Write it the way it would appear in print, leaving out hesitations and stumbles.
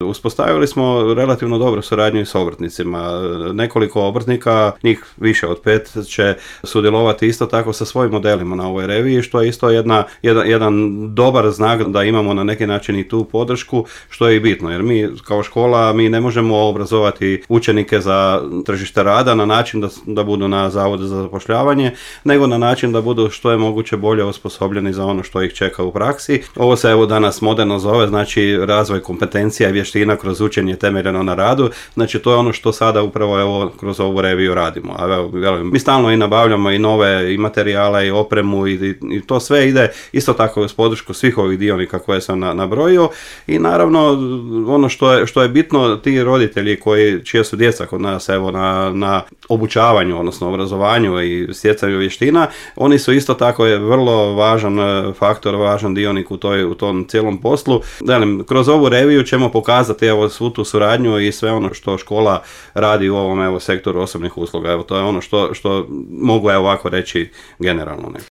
uspostavili smo relativno dobru suradnju i s obrtnicima. Nekoliko obrtnika, njih više od 5, će sudjelovati isto tako sa svojim modelima na ovoj reviji, što je isto jedan dobar znak da imamo na neki način i tu podršku, što je i bitno, jer mi kao škola mi ne možemo obrazovati učenike za tržište rada na način da budu na zavodu za zapošljavanje, nego na način da budu što je moguće bolje osposobljeni za ono što ih čeka u praksi. Ovo se evo danas moderno zove, znači razvoj kompetencija i vještina kroz učenje temeljeno na radu, znači to je ono što sada upravo evo kroz ovu reviju radimo. A evo, mi stalno i nabavljamo i nove i materijale i opremu i to sve ide isto tako uz podršku svih ovih dionika koje sam nabrojio i naravno ono što je bitno, ti roditelji čija su djeca kod nas evo na obučavanju, odnosno obrazovanju i stjecanju vještina, oni su isto tako je vrlo važan faktor, važan dionik u tom cijelom poslu. Kroz ovu reviju ćemo pokazati evo svu tu suradnju i sve ono što škola radi u ovom evo sektoru osobnih usluga. Evo to je ono što mogu ovako reći generalno.